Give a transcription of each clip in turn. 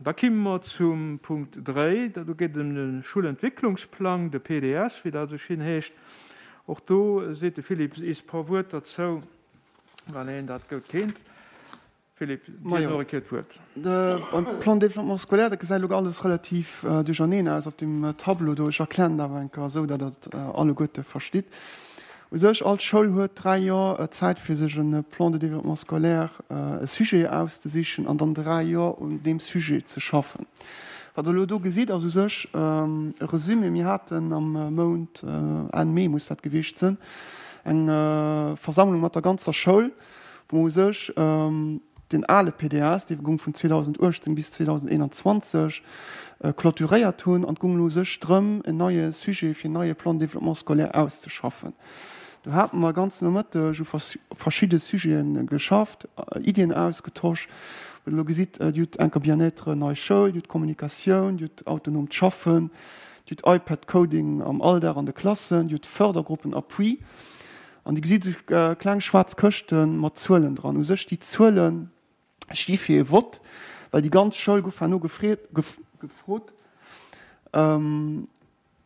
Da kimme mer zum Punkt 3, do geet et ëm de Schulentwicklungsplang, de PDS, wéi dat esou schin heescht. Och do seet de Philippe is e puer Wuert derzou, well hien dat goud kennt. Philippe, dir hutt nach eng Kéier d'Wuert. Beim Plan de développement scolaire, dat gesäit elo alles relativ duercherneen aus op deem Tableau do. Ech erklären et awer eng Kéier esou, datt Der et alleguerte verstitt. U sech, all Schoul huet dräi Joer Zäit, fir sech e Plan de développement scolaire, e Sujet auszesichen an dann dräi Joer un deem Sujet ze schaffen. Wat Der elo do gesitt, ass u sech e Resumé. Mir haten am Mount, Enn Mee muss dat gewiescht sinn, eng Versammlung mat der ganzer Schoul, wou u sech den ale PDS, dee goung vun 2018 bis 2021, clôturéiert hunn an et goung elo u sech drëm, en neie Sujet fir en neie Plan de développement scolaire auszeschaffen. Do hate mer e ganzen Nomëtteg u verschidde Sujete geschafft, Iddien ausgetosch. Wou Der elo gesitt, Dir hutt enker Bien-être, nei Schoul, Dir hutt Kommunikatioun, Dir hutt autonoomt Schaffen, Dir hutt iPad-Coding am Alldag an de Klassen, Dir hutt Fördergruppen, Appui. An Dir gesitt esou kleng schwaarz Këschte mat Zuelen dran. U sech déi Zuele sti fir ee Vott, well déi ganz Schoul gouf herno gefrot,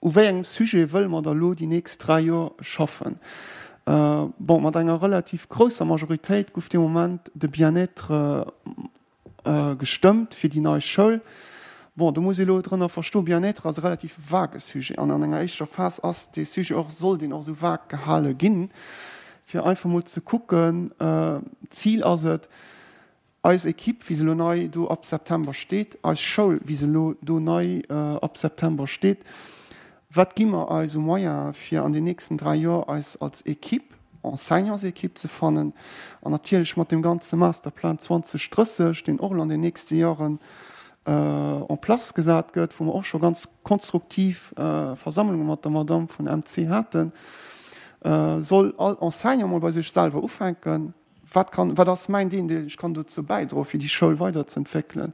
U wéi engem Sujet wëlle mer da lo déi nächst 3 Joer schaffen? Bon, mat enger relativ grousser Majoritéit gouf dee Moment de Bien-être gestëmmt fir déi nei Schoul. Bon, do muss ee lo drënner verstoen, Bien-être ass e relativ vague Sujet an an enger éischter Phas ass dee Sujet och, soll deen och esou vague gehale ginn, fir einfach mol ze kucken, Zil ass et, eis Equipe, wéi se elo nei do ab September steet, eis Schoul, wéi se elo do nei ab September steet, Wat gi mer eis u Moyene fir an den nächsten 3 Joer eis als Equipe, Enseignantsequipe ze fannen an natierlech mat deem ganze Masterplan 2030, deen och elo an den nächste Joren en place gesat gëtt, wou mer och scho ganz konstruktiv Versammlunge mat der Madamm vun MC haten, soll all Enseignant mol bei sech selwer ufänken, Wat kann, wat ass mäin Deel, deen ech kann dozou bäidroen, fir déi Schoul weiderzeentwéckelen?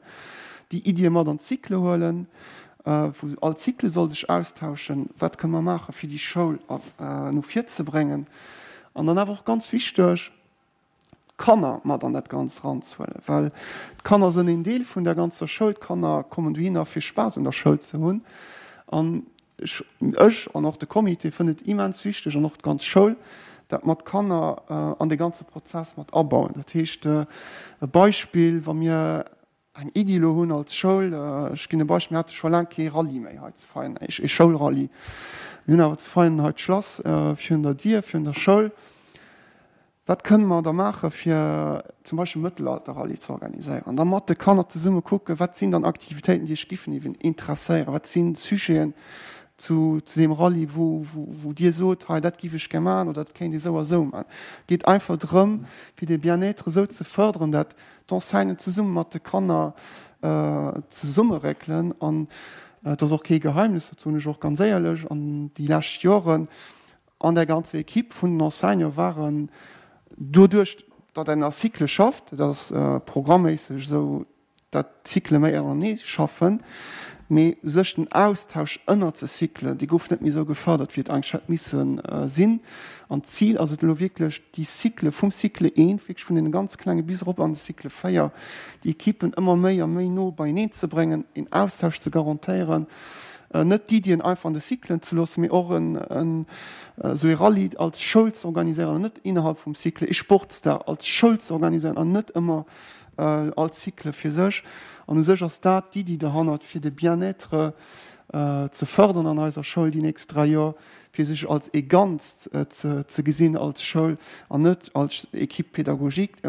Déi Iddie mat an d'Cycle huelen, wou all Cycle soll sech austauschen, wat kënne mer maachen, fir déi Schoul no vir ze bréngen? An dann awer och ganz wichteg, d'Kanner mat an dat Ganzt eranzehuelen, well d'Kanner sënn een Deel vun der ganzer Schoul. D'Kanner kommen dohinner, fir Spaass un der Schoul ze hunn. An Ech an och de Comité fënnt et immens wichteg, an och d'ganz Schoul, dat mer d'Kanner an dee ganze Prozess mat abauen. Dat heescht, e Beispill, wa mir eng Iddi elo hunn als Schoul, ech ginn e Beispill, mir hate scho laang kee Rallye méi hei zu Veianen, ee Schoulrallye. Mir hunn awer zu Veianen hei d'Schlass virun der Dier virun der Schoul. Wat kënne mer da maachen, fir zum Beispill e Mëttelalter-Rallye ze organiséieren? An da mat de Kanner zesumme kucken, wat sinn dann Aktivitéiten, déi iech giffen eeben interesséieren? Wat si Sujeten zu deem Rallye, wou, wou Dir sot, hei dat giff ech gär maachen oder dat kéint ee sou a sou maachen? Et geet einfach drëm, fir de Bien-être esou ze fërderen, dat d'Enseignanten zesumme mat de Kanner zesummeréckelen. An et ass och kee Geheimnis, dat soen ech och ganz éierlech, an déi lescht Joren An der ganzer Equipe vun den Enseignanten waren doduerch, datt een a Cycle schafft, dat ass programméisseg esou, datt d'Cycle méi ënnerenee schaffen, mee u sech den Austausch ënnert de Cyclen, dee gouf net méi esou gefërdert, wéi et eigentlech hätt misse sinn. An d'Zil ass et elo wierklech, déi Cycle vum Cycle eent, wierklech vun deene ganz Klenge bis erop an de Cycle 4, déi Equipen ëmmer méi a méi no beieneen ze bréngen, een Austausch ze garantéieren, Net d'Iddien einfach an de Cyclen ze loossen, mee och esou ee Rallye als Schoul ze organiséieren an net innerhalb vum Cycle, ee Sportsdag als Schoul ze organiséieren an net ëmmer all Cycle fir sech. An u sech ass dat d'Iddi derhannert, fir de Bien-être ze fërderen an eiser Schoul déi nächst 3 Joer, fir sech als ee Ganzt ze gesinn als Schoul an net als Équipe pédagogique,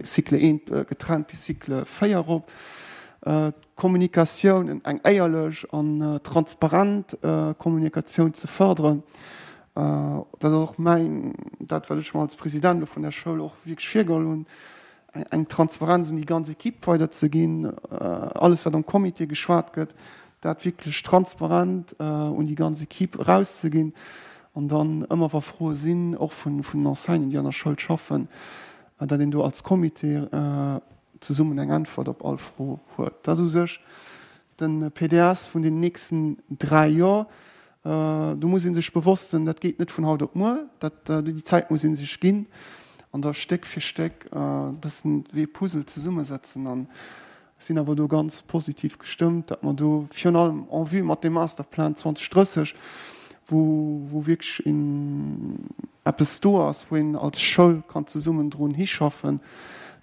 Cycle 1 getrennt bis Cycle 4 erop. Kommunikatioun, eng éierlech an transparent Kommunikatioun ze fërderen. Dat ass och mäin, dat wat ech mer als President elo vun der Schoul och wierklech virgeholl hunn, eng Transparenz un déi ganz Equipe weiderzeginn, alles wat am Comité geschwat gëtt, dat wierklech transparent un déi ganz Equipe erauszeginn an dann ëmmer wa Froe sinn, och vun den Enseignanten, déi an der Schoul schaffen, datt een do als Comité zesummen eng Äntwert op all Fro huet. Dat ass u sech de PDS vun den nächsten 3 Joer. Do muss ee sech bewosst sinn, dat geet net vun haut op muer. Dat, déi Zäit muss ee sech ginn an da Stéck fir Stéck e bëssen wéi e Puzzle zesummesetzen. An. Ech sinn awer do ganz positiv gestëmmt, datt mer do virun allem en vue mat deem Masterplan 2030, wou, wou wierklech een eppes do ass, wou een als Schoul kann zesummen drun hischaffen,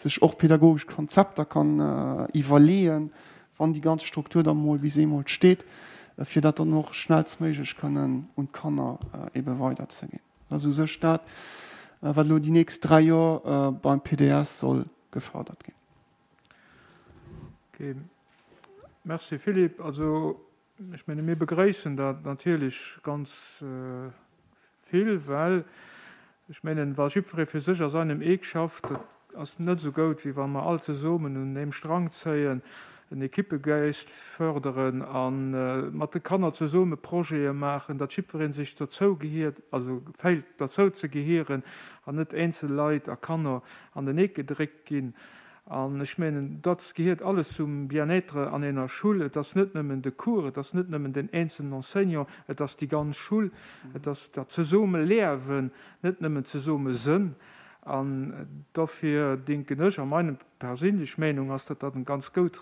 sech och pädagogesch Konzepter kann iwwerleeën, wann déi ganz Struktur da mol bis eemol steet, fir dat dann och schnellstméiglech kënnen un d'Kanner ebe weiderzeginn. Dat ass u sech dat, wat elo déi nächst 3 Joer beim PDS soll gefërdert ginn. Ok, merci Philippe. Also ech menge mir begréissen dat natierlech ganz vill, well ech mengen, wa jiddweree fir sech a seinem Eck schafft, dat ass net esou goud, wéi wa mer all zesummen un eem Strang zéien, en Equippegeist förderen a mat de Kanner zesumme Projete maachen, datt jiddweree sech dozou gehiert, also féilt derzou ze gehieren an net eenzel Leit a Kanner an den Eck gedréckt ginn. An ech mengen, dat gehiert alles zum Bien-être an ener Schull. Et ass net nëmmen de Cours, et ass net nëmmen den eenzelnen Enseignant, et ass déi ganz Schull, et ass dat Zesummeleawen, net nëmmen d'Zesummesënn. An dofir denken ech, a meng perséinlech Meenung ass, datt dat eng ganz goud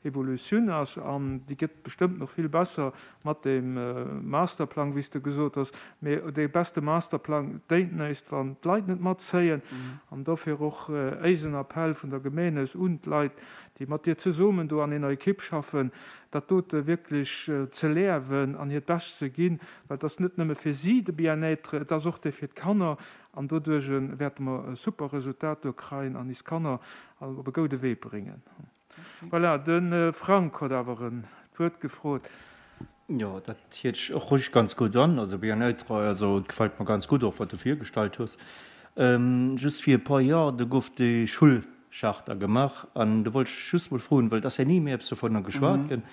Evolutioun ass an déi gëtt bestëmmt nach vill besser mat deem Masterplang, wéi s de gesot hues. Mee dee beste Masterplang déint näischt, wann d'Leit net matzéien. An dofir och éisen Appell vun der Gemeen aus un d'Leit, déi mat dir zesummen do an ener Ekipp schaffen, dat dote wierklech ze leawen an hiert Bescht ze ginn, well et ass net nëmme fir si de Bien-être, et ass och dee fir d'Kanner. An doduerch wäerte mer e super Resultat do kreien an is Kanner op e goude Wee bréngen. Voilà, de Frank huet awer en d'Wuert gefrot. Jo, dat hiert sech och ruhig ganz gutt an. Also bien-être, also et gefällt mer ganz gutt och wat du virgestallt hues. Just fir e puer Joer, do gouf déi Schullcharta gemaach an do wollt ech just mol froen, well et ass ja ni méi eppes dovunner geschwat ginn,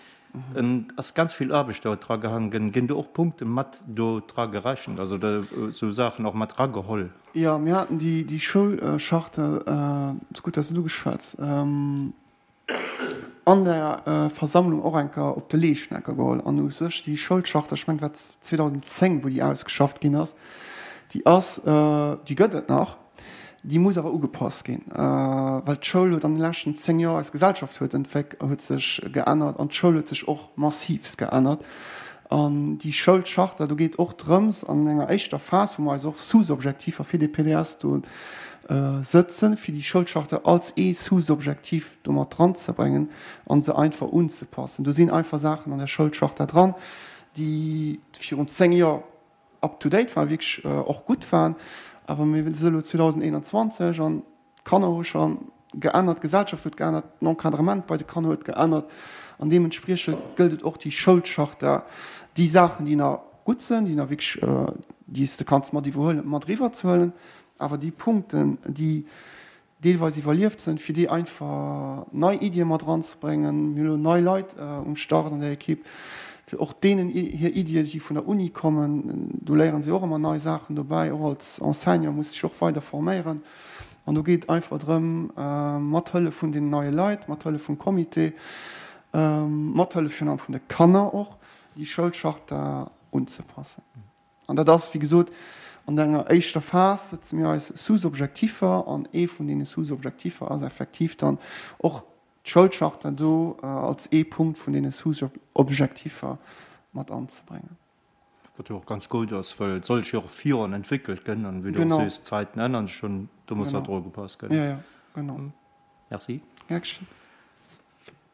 Et ass ganz vill Aarbecht do dra gehangen ginn. Ginn do och Punkte mat do dra gerechent, also esou Saachen och mat rageholl? Jo, mir haten déi Schoulcharte, et ass gutt, dass de et ugeschwätz, an der Versammlung och eng Kéier op de Leeschnecker geholl. An u sech déi Schoulcharte, ech mengen, et war 2010, wou déi ausgeschafft ginn ass, déi ass, déi gëtt et nach. Déi muss awer ugepasst ginn, well d'Schoul huet an de leschten 10 Joer, eis Gesellschaft huet entwéck, huet sech geännert an d'Schoul huet sech och massivst geännert. An déi Schoulcharta, do geet och drëms an enger éischter Phas, wou mer eis och Sous-Objektiver fir de PDS do sëtzen, fir déi Schoulcharta als ee Sous-Objektiv do mat dranzebréngen a se einfach unzepassen. Do sinn einfach Saachen an der Schoulcharta dran, déi virun 10 Joer up to date waren, wierklech och gutt waren, awer mir si elo 2021 an d'Kanner hu scho geännert, d'Gesellschaft huet geännert, den Encadrement bei de Kanner huet geännert an deementspriechend gëllt et och déi Schoulcharta, déi Saachen, déi nach gutt sinn, déi nach wierklech, déi s de kanns mat iwwerhuelen, mat eriwwerzehuelen, awer déi Punkten, déi deelweis iwwerlieft sënn, fir déi einfach nei Iddie mat eranzebréngen. Mir hunn elo nei Leit um Start an der Ekipp, fir och deenen hir Iddien, déi vun der Uni kommen, do léieren si och ëmmer nei Saachen dobäi. Och als Enseignant muss sech och weider forméieren. An do geet et einfach drëm, mat Hëllef vun deenen neie Leit, mat Hëllef vum Comité, mat Hëllef virun allem vun de Kanner och, déi Schoulcharta unzepassen. An dat ass, wéi gesot, an enger éischter Phas sëtze mir eis Sous-Objektiffer an ee vun deene Sous-Objektiffer ass effektiv dann och d'Schoulcharta do als ee Punkt vun deene Sous-Objektiffer mat anzebréngen. Wat jo och ganz gutt ass, well et soll sech jo och virun entwéckelt gënn an, wéi du och sees, d'Zäiten ännern sech schon, do muss dat och ugepasst gënn. Jo, jo, genau. Merci. Gär geschéngt.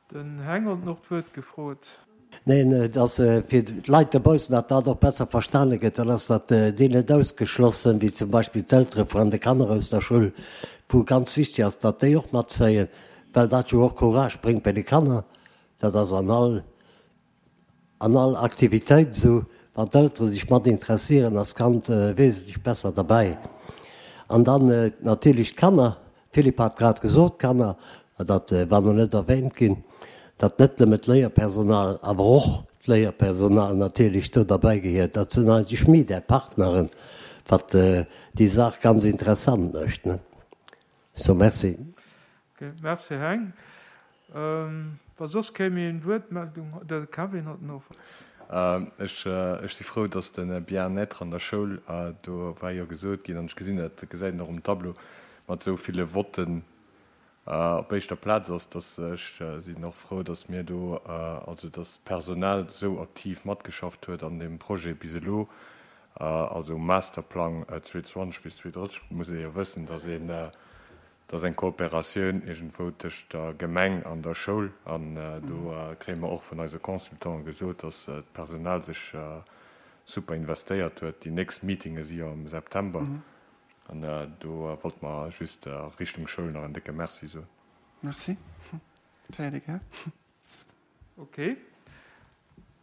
Den Heng huet och d'Wuert gefrot. Neen, et ass fir d'Leit dobaussen, datt dat och besser verstane gëtt. Dann ass dat deen net ausgeschlossen, wéi zum Beispill d'Eltere vun de Kanner aus der Schoul, wou ganz wichteg ass, datt déi och matzéien, well dat jo och Courage bréngt bei de Kanner. Dat ass an all An all Aktivitéit esou, wann d'Eltere sech mat interessieren, ass d'Kand wesentlech besser derbäi. An dann natierlech d'Kanner, Philippe hat grad gesot, d'Kanner, dat war nach net erwähnt ginn, datt net nëmme d'Léierpersonal, awer och d'Léierpersonal natierlech do derbäi gehiert. Dat sinn eigentlech mir, där Partneren, wat déi Saach ganz interessant mécht. So, merci. Ok, merci Heng. Wa soss kee méi eng Wuertmeldung huet, de Kevin huet nach. Ech si frou, dass de Bien-être an der Schoul, do war jo gesot ginn, an ech gesinn dat, dat gesäit een och um Tableau, mat esou ville Votten. Op éischter Plaz ass, dass ech sinn och frou, dass mir do, also dass d'Personal esou aktiv matgeschafft huet an deem Projet bis elo, also um Masterplang 2020 bis 2030, muss ee jo wëssen, dass een, dass eng Kooperatioun iergendwou tëscht der Gemeng an der Schoul, an do kréie mer och vun eise Consultante gesot, dass d'Personal sech super investéiert huet. Déi nächst Meetinge si jo am September. An do wollt mer just a Richtung Schoul nach en décke Merci soen. Merci. Dat héiert ee gär. Ok.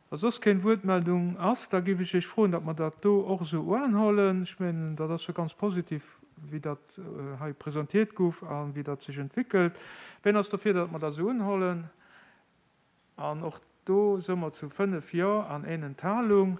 Wa soss keng Wuertmeldung ass, da géif ech Iech froen, datt mer dat do och esou uanhollen. Ech mengen, dat ass jo ganz positiv, wéi dat hei presentiert gouf a wéi dat sech entwéckelt. Wien ass dofir, datt mer dat esou unhollen? An och do si mer zu 5 Jo an een Enthalung.